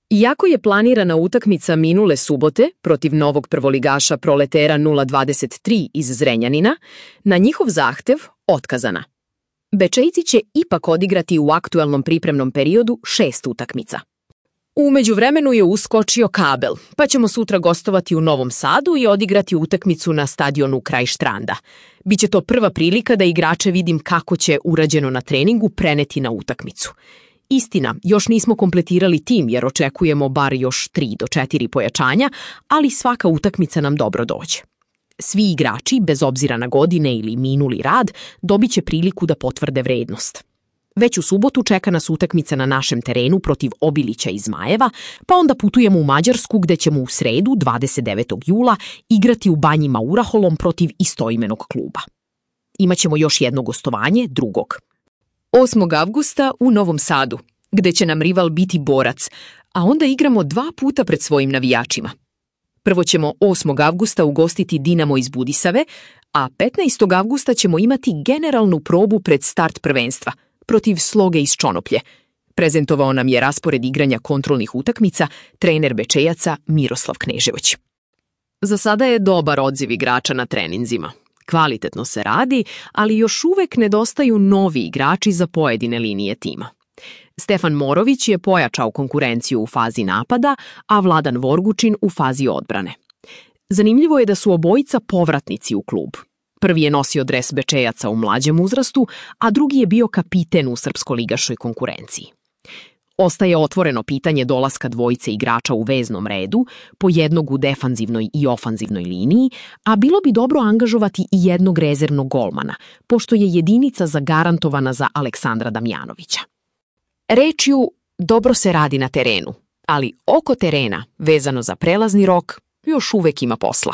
Iako je planirana utakmica minule subote protiv novog prvoligaša Proletera 023 iz Zrenjanina, na njihov zahtev otkazana. Bečejci će ipak odigrati u aktuelnom pripremnom periodu 6 utakmica. U međuvremenu je uskočio kabel, pa ćemo sutra gostovati u Novom Sadu i odigrati utakmicu na stadionu kraj Štranda. Biće to prva prilika da igrače vidim kako će urađeno na treningu preneti na utakmicu. Istina, još nismo kompletirali tim jer očekujemo bar još 3 do 4 pojačanja, ali svaka utakmica nam dobro dođe. Svi igrači, bez obzira na godine ili minuli rad, dobit će priliku da potvrde vrednost. Već u subotu čeka nas utakmica na našem terenu protiv Obilića i Zmajeva, pa onda putujemo u Mađarsku gde ćemo u sredu, 29. jula, igrati u Banji Mauraholom protiv istoimenog kluba. Imaćemo još jedno gostovanje, 2. 8. avgusta u Novom Sadu, gde će nam rival biti Borac, a onda igramo 2 puta pred svojim navijačima. Prvo ćemo 8. avgusta ugostiti Dinamo iz Budisave, a 15. avgusta ćemo imati generalnu probu pred start prvenstva protiv Sloge iz Čonoplje. Prezentovao nam je raspored igranja kontrolnih utakmica trener Bečejaca Miroslav Knežević. Za sada je dobar odziv igrača na treninzima. Kvalitetno se radi, ali još uvek nedostaju novi igrači za pojedine linije tima. Stefan Morović je pojačao konkurenciju u fazi napada, a Vladan Vorgučin u fazi odbrane. Zanimljivo je da su obojica povratnici u klub. Prvi je nosio dres Bečejaca u mlađem uzrastu, a drugi je bio kapiten u srpskoligaškoj konkurenciji. Ostaje otvoreno pitanje dolaska dvojice igrača u veznom redu, po jednog u defanzivnoj i ofanzivnoj liniji, a bilo bi dobro angažovati i jednog rezervnog golmana, pošto je jedinica zagarantovana za Aleksandra Damjanovića. Rečju, dobro se radi na terenu, ali oko terena, vezano za prelazni rok, još uvek ima posla.